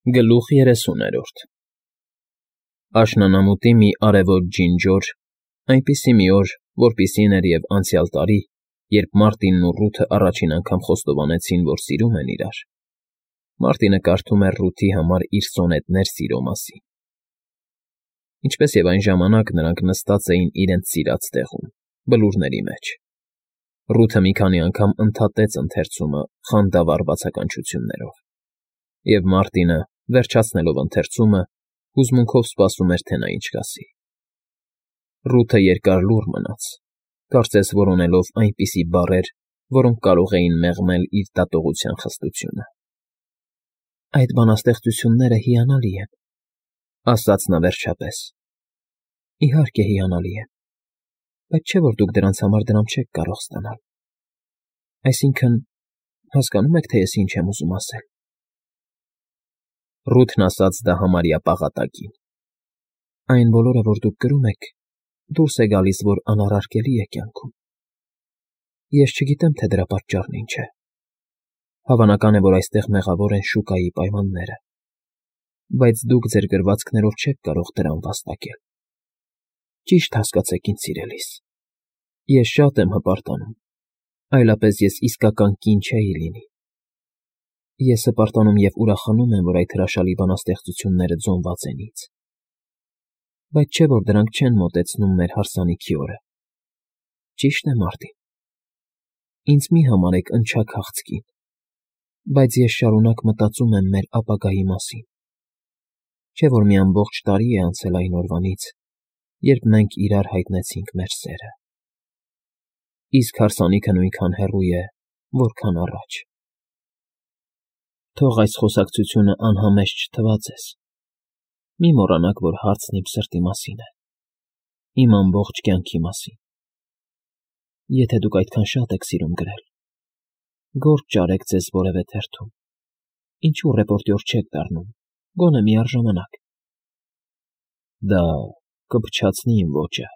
Գլուխ 30 Աշնանամուտի մի արևոտ ջինջոր, այնպիսի մի օր, որպիսին էր և անցյալ տարի, երբ Մարտինն ու Ռութը առաջին անգամ խոստովանեցին, որ սիրում են իրար, Մարտինը կարդում էր Ռութի համար իր սոնետներ սիրո մասին։ Ինչպես և այն ժամանակ նրանք նստած էին իրենց սիրած տեղում, բլուրների մեջ։ Ռութը մի քանի անգամ ընդհատեց ընթերցումը խանդավառ բացականչություններով, և Մարտինը, վերջացնելով ընթերցումը, հուզմունքով սպասում էր, թե նա ինչ կասի։ Ռութը երկար լուռ մնաց, կարծես որոնելով այնպիսի բառեր, որոնք կարող էին մեղմել իր դատողության խստությունը։ «Այդ բանաստեղծությունները հիանալի են,֊ ասաց նա վերջապես։ Իհարկե հիանալի են, բայց չէ՞ որ դուք դրանց համար դրամ չեք կարող ստանալ։ Այսինքն, հասկանո՞ւմ եք, թե ես ինչ եմ ուզում ասել»։ Ռութն ասաց դա համարյա պաղատակին։ «Այն բոլորը, որ դուք կրում եք, դուրս է գալիս, որ անառարկելի է կյանքում։ Ես չգիտեմ, թե դրա պատճառն ինչ է։ Հավանական է, որ այստեղ մեղավոր են շուկայի պայմանները, բայց դուք ձեր գրվածքներով չեք կարող դրան վաստակել։ Ճիշտ հասկացեք, ինձ սիրելիս, ես շատ եմ հպարտանում, այլապես ես իսկական կին չէի լինի։ Ես հպարտանում և ուրախանում եմ, որ այդ հրաշալի բանաստեղծությունները ձոնված են ինձ։ Բայց չէ՞ որ դրանք չեն մոտեցնում մեր հարսանիքի օրը։ Ճիշտ է, Մարտին։ Ինձ մի համարեք ընչաքաղց կին, բայց ես շարունակ մտածում եմ մեր ապագայի մասին։ Չէ՞ որ մի ամբողջ տարի է անցել այն օրվանից, երբ մենք իրար հայտնեցինք մեր սերը։ Իսկ հարսանիքը նույնքան հեռու է, որքան առաջ։ Թող այս խոսակցությունը անհամեստ չթվա ձեզ։ Մի մոռանաք, որ հարցն իմ սրտի մասին է, իմ ամբողջ կյանքի մասին։ Եթե դուք այդքան շատ եք սիրում գրել, գործ ճարեք ձեզ որևէ թերթում, ինչու ռեպորտյոր չեք դառնում, գոնե միառժամանակ։ Դա կփչացնի իմ ոճը,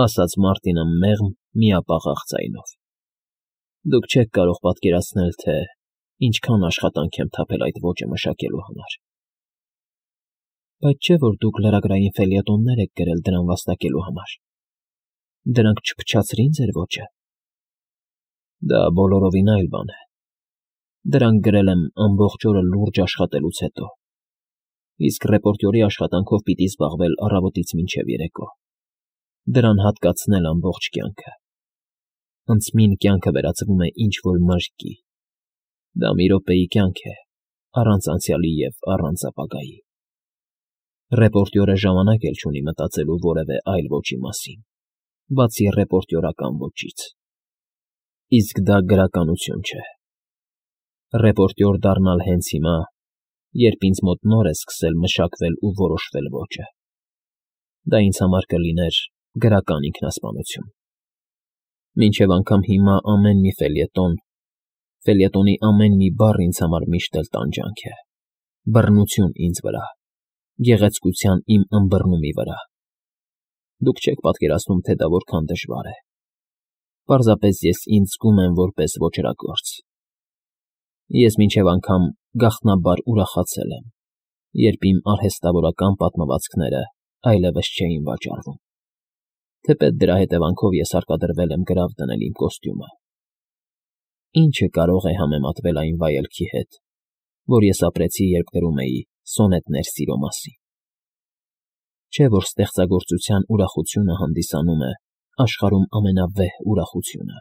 ասաց Մարտինը մեղմ, միապաղաղ ձայնով։ Դուք չեք կարող պատկերացնել, թե ինչքան աշխատանք եմ թափել այդ ոճը մշակելու համար։ Բայց չէ՞ որ դուք լրագրային ֆելյետոններ եք գրել դրան վաստակելու համար։ Դրանք չփչացրին ձեր ոճը։ Դա բոլորովին այլ բան է։ Դրանք գրել եմ ամբողջ օրը լուրջ աշխատելուց հետո, իսկ ռեպորտյորի աշխատանքով պիտի զբաղվել առավոտից մինչև երեկո։ Դրան հատկացնել ամբողջ կյանքը։ Անցմին կյանքը վերածվում է ինչ֊որ մրրկի։ Դա մի րոպեի կյանք է, առանց անցյալի և առանց ապագայի։ Ռեպորտյորը ժամանակ էլ չունի մտածելու որևէ այլ ոճի մասին, բացի ռեպորտյորական ոճից։ Իսկ դա գրականություն չէ։ Ռեպորտյոր դառնալ հենց հիմա, երբ ինձ մոտ նոր է սկսել մշակվել ու որոշվել ոճը։ Դա ինձ համար կլիներ գրական ինքնասպանություն։ Մինչև անգամ հիմա ամեն մի ֆելյետոնի ամեն մի բառ ինձ համար միշտ էլ տանջանք է, բռնություն ինձ վրա, գեղեցկության իմ ըմբռնումի վրա։ Դուք չեք պատկերացնում, թե դա որքան դժվար է։ Պարզապես ես ինձ զգում եմ որպես ոճրագործ։ Ես մինչև անգամ գաղտնաբար ուրախացել եմ, երբ իմ արհեստավորական պատմվածքները այլևս չէին վաճառվում, թեպետ դրա հետևանքով ես հարկադրվել եմ գրավ դնել իմ կոստյումը։ Ինչը կարող է համեմատվել այն վայելքի հետ, որ ես ապրեցի, երբ գրում էի սոնետներ սիրո մասին։ Չէ՞ որ ստեղծագործության ուրախությունը հանդիսանում է աշխարհում ամենավեհ ուրախությունը,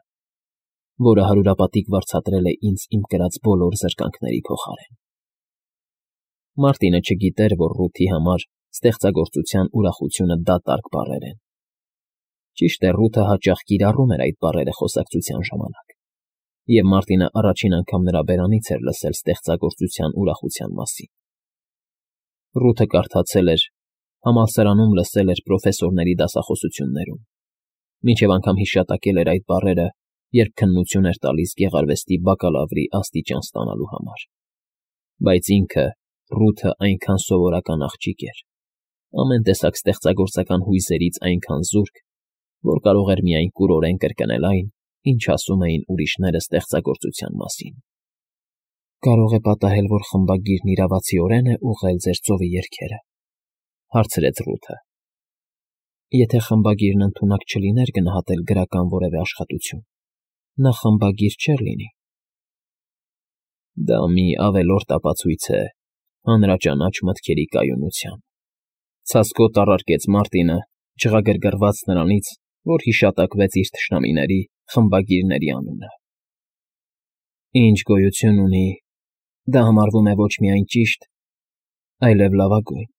որը հարյուրապատիկ վարձատրել է ինձ իմ կրած բոլոր զրկանքների փոխարեն։ Մարտինը չգիտեր, որ Ռութի համար ստեղծագործության ուրախությունը դատարկ բառեր են։ Ճիշտ է, Ռութը հաճախ կիրառում էր այդ բառերը խոսակցության ժամանակ, և Մարտինը առաջին անգամ նրա բերանից էր լսել ստեղծագործության ուրախության մասին։ Ռութը կարդացել էր, համալսարանում լսել էր պրոֆեսորների դասախոսություններում, մինչև անգամ հիշատակել էր այդ բառերը, երբ քննություն էր տալիս գեղարվեստի բակալավրի աստիճան ստանալու համար։ Բայց ինքը, Ռութը, այնքան սովորական աղջիկ էր, ամեն տեսակ ստեղծագործական հույզերից այնքան զուրկ, որ կարող էր միայն կուրորեն կրկնել այն, ինչ ասում էին ուրիշները ստեղծագործության մասին։ Կարող է պատահել, որ խմբագիրն իրավացիորեն է ուղղել ձեր ծովի երգերը, հարցրեց Ռութը։ Եթե խմբագիրն ընդունակ չլիներ գնահատել գրական որևէ աշխատություն, նա խմբագիր չէր լինի։ Դա մի ավելորդ ապացույց է հանրաճանաչ մտքերի կայունության, ցասկոտ առարկեց Մարտինը, չղագրգռված նրանից, որ հիշատակվեց իր թշնամիների խմբագիրների անունը։ Ինչ գոյություն ունի, դա համարվում է ոչ միայն ճիշտ, այլև լավագույն։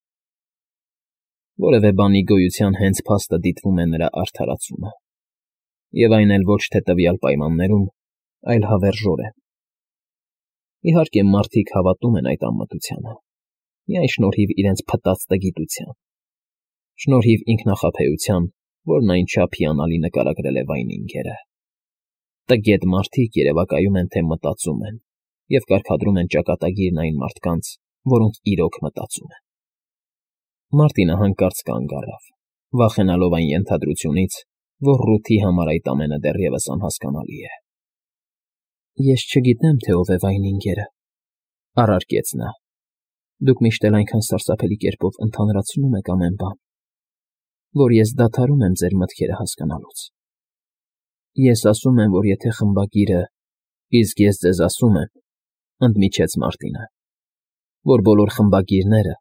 Որևէ բանի գոյության հենց փաստը դիտվում է նրա արդարացումը, և այն էլ ոչ թե տվյալ պայմաններում, այլ հավերժորեն։ Իհարկե, մարդիկ հավատում են այդ անմտությանը, միայն շնորհիվ իրենց փտած տգիտության, շնորհիվ ինքնախաբեության, որն այնչափ հիանալի նկարագրել է Վայնինգերը։ Տգետ մարդիկ երևակայում են, թե մտածում են, և կարգադրում են ճակատագիրն այն մարդկանց, որոնք իրոք մտածում են։ Մարտինը հանկարծ կանգ առավ, վախենալով այն ենթադրությունից, որ Ռութի համար այդ ամենը դեռևս անհասկանալի է։ Ես չգիտեմ, թե ով է Վայնինգերը, առարկեց նա։ Դուք միշտ էլ այնքան սարսափելի կերպով ընդհանրացնում եք ամեն բան, որ ես դադարում եմ ձեր մտքերը հասկանալուց։ Ես ասում եմ, որ եթե խմբագիրը, իսկ ես ձեզ ասում եմ, ընդմիջեց Մարտինը, որ բոլոր խմբագիրները,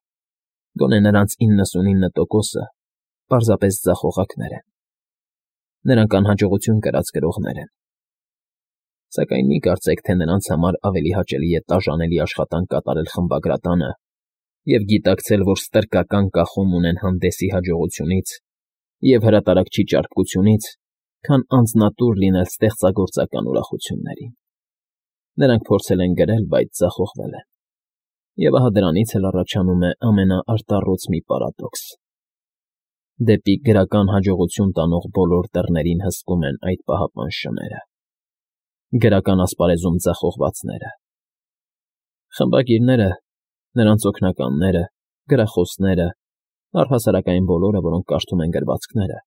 գոնե նրանց 99%-ը, պարզապես ձախողակներ են։ Նրանք անհաջողություն կրած գրողներ են։ Սակայն մի կարծեք, թե նրանց համար ավելի հաճելի է տաժանելի աշխատանք կատարել խմբագրատանը և գիտակցել, որ ստրկական կախում ունեն հանդեսի հաջողությունից և հրատարակչի ճարպկությունից, քան անձնատուր լինել ստեղծագործական ուրախություններին։ Նրանք փորձել են գրել, բայց ձախողվել են։ Եվ ահա դրանից էլ առաջանում է ամենաարտառոց մի պարադոքս։ Դեպի գրական հաջողություն տանող բոլոր դռներին հսկում են այդ պահապան շները։ Գրական ասպարեզում ձախողվածները։ Խմբագիրները, նրանց օգնականները, գրախոսները, առհասարակ այն բոլորը, որոնք կարդում են գրվածքները,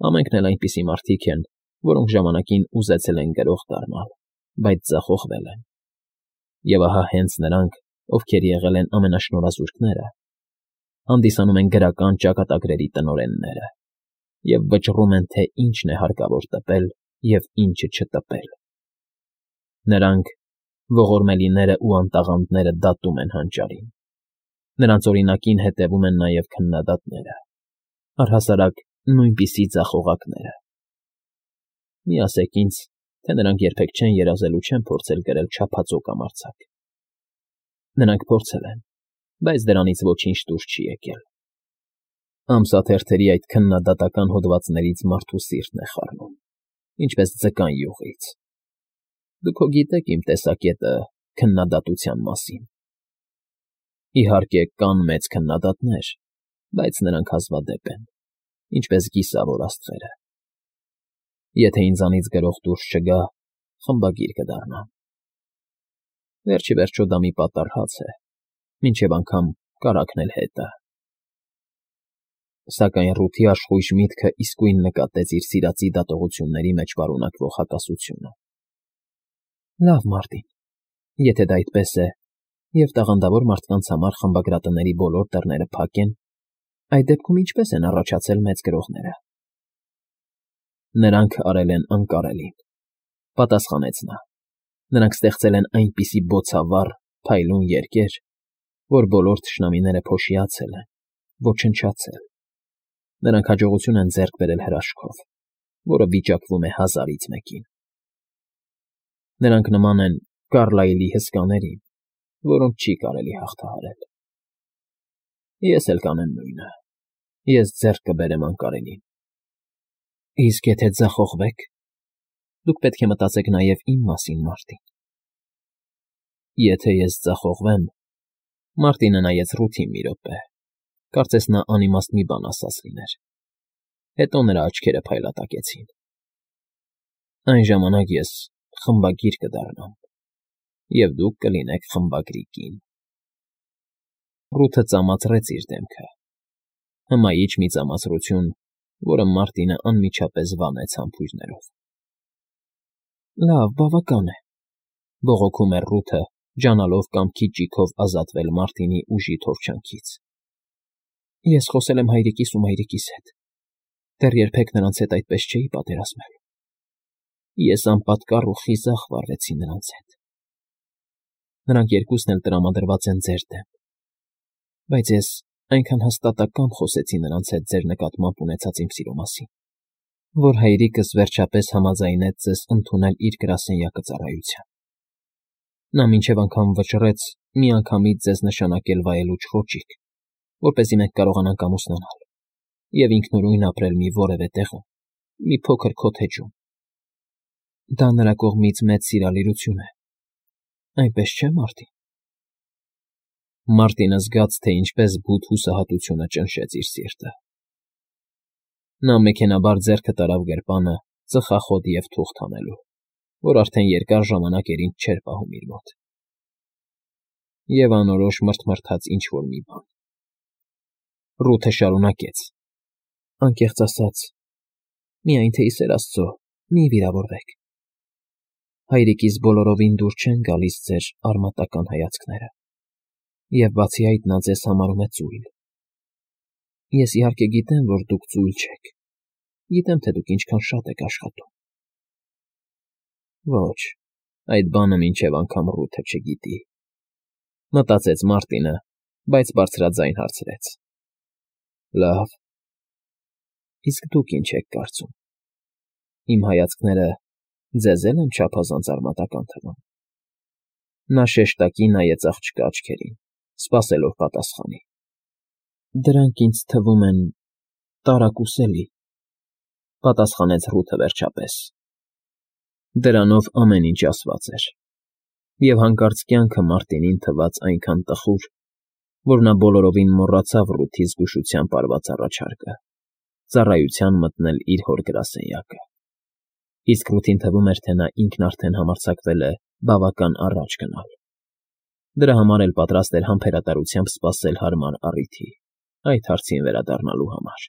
ամենքն էլ այնպիսի մարդիկ են, որոնք ժամանակին ուզեցել են գրող դառնալ, բայց ձախողվել են։ Եվ ահա հենց նրանք, ովքեր եղել են ամենաշնորհազուրկները, հանդիսանում են գրական ճակատագրերի տնօրենները և վճռում են, թե ինչն է հարկավոր տպել և ինչը չտպել։ Նրանք, ողորմելիները ու անտաղանդները դատում են հանճարին։ Նրանց օրինակին հետևում են նաև քննադատները, առհասարակ նույնպիսի ձախողակները։ Մի ասեք ինձ, թե նրանք երբեք չեն երազել ու չեն փորձել գրել չափածո կամ արձակ։ Նրանք փորձել են, բայց դրանից ոչինչ դուրս չի եկել։ Ամսաթերթերի այդ քննադատական հոդվածներից մարդու սիրտն է խառնում, ինչպես ձկան յուղից։ Դուք հո գիտեք իմ տեսակետը քննադատության մասին։ Իհարկե, կան մեծ քննադատներ, բայց նրանք հազվադեպ են, ինչպես գիսավոր աստղերը։ Եթե ինձանից գրող դուրս չգա, խմբագիր կդառնամ։ Վերջ ի վերջո դա մի պատառ հաց է, մինչև անգամ կարագն էլ հետը։ Սակայն Ռութի աշխույժ միտքը իսկույն նկատեց իր սիրածի դատողությունների մեջ պարունակվող հակասությունը։ Լավ, Մարտին, եթե դա այդպես է, և տաղանդավոր մարդկանց համար խմբագրատների բոլոր դռները փակ են, այդ դեպքում ինչպե՞ս են առաջացել մեծ գրողները։ Նրանք արել են անկարելին, պատասխանեց նա։ Նրանք ստեղծել են այնպիսի բոցավառ, փայլուն երկեր, որ բոլոր թշնամիները փոշիացել են, ոչնչացել։ Նրանք հաջողություն են ձեռք բերել հրաշքով, որը վիճակվում է 1000-ից մեկին։ Նրանք նման են Կարլայլի հսկաներին, որոնք չի կարելի հաղթահարել։ Ես էլ կանեմ նույնը։ Ես ձեռք կբերեմ անկարելին։ Իսկ եթե ձախողվեք, դուք պետք է մտածեք նաև իմ մասին, Մարտին։ Եթե ես ձախողվեմ, Մարտինը նայեց Ռութին մի րոպե, կարծես նա անիմաստ մի բան ասած լիներ։ Հետո նրա աչքերը փայլատակեցին։ Այն ժամանակ ես խմբագիր կդառնամ, և դուք կլինեք խմբագրի կին։ Ռութը ծամացրեց իր դեմքը, հմայիչ մի ծամացրություն, որը Մարտինը անմիջապես վանեց համբույրներով։ Լավ, բավական է, բողոքում էր Ռութը, ջանալով կամքի ճիգով ազատվել Մարտինի ուժի թորչանքից։ Ես խոսել եմ հայրիկիս ու մայրիկիս հետ, դեռ երբեք նրանց հետ այդպես չէի պատերազմել։ Ես անպատկառ ու խիզախ վարվեցի նրանց հետ։ Նրանք երկուսն էլ տրամադրված են ձեր դեմ, բայց ես այնքան հաստատակամ խոսեցի նրանց հետ ձեր նկատմամբ ունեցած իմ սիրո մասին, որ հայրիկս վերջապես համաձայնեց ձեզ ընդունել իր գրասենյակը ծառայության։ Նա մինչև անգամ վճռեց միանգամից ձեզ նշանակել վայելուչ ոճիկ, որպեսզի մենք կարողանանք ամուսնանալ և ինքնուրույն ապրել մի որևէ տեղում, մի փոքր քոթեջում։ Դա նրա կողմից մեծ սիրալիրություն է, այնպես չէ՞, Մարտին։ Մարտինը զգաց, թե ինչպես բութ հուսահատությունը ճնշեց իր սիրտը։ Նա մեքենաբար ձեռքը տարավ գրպանը ծխախոտ և թուղթ հանելու, որ արդեն երկար ժամանակ էր ինձ չէր պահում իր մոտ։ Եվ անորոշ մռթմռթաց ինչ֊որ մի բան։ Ռութը շարունակեց. Անկեղծ ասած, միայն թե ի սեր Աստծո, մի վիրավորվեք։ Հայրիկիս բոլորովին դուր չեն գալիս ձեր արմատական հայացքները, և բացի այդ նա ձեզ համարում է ծույլ։ Ես իհարկե գիտեմ, որ դուք ծույլ չեք, գիտեմ, թե դուք ինչքան շատ եք աշխատում։ Ոչ, այդ բանը մինչև անգամ Ռութը չգիտի, մտածեց Մարտինը, բայց բարձրաձայն հարցրեց. Լավ, իսկ դուք ինչ եք կարծում։ Իմ հայացքները ձեզ էլ են չափազանց արմատական թվում։ Նա շեշտակի նայեց աղջկա աչքերին, սպասելով պատասխանի։ Դրանք ինձ թվում են տարակուսելի, պատասխանեց Ռութը վերջապես։ Դրանով ամեն ինչ ասված էր, և հանկարծ կյանքը Մարտինին թվաց այնքան տխուր, որ նա բոլորովին մոռացավ Ռութի զգուշությամբ արված առաջարկը՝ ծառայության մտնել իր հոր գրասենյակը։ Իսկ Ռութին թվում էր, թե նա ինքն արդեն համարձակվել է բավական առաջ գնալ։ Դրա համար էլ պատրաստ էր համբերատարությամբ սպասել հարմար առիթի այդ հարցին վերադառնալու համար։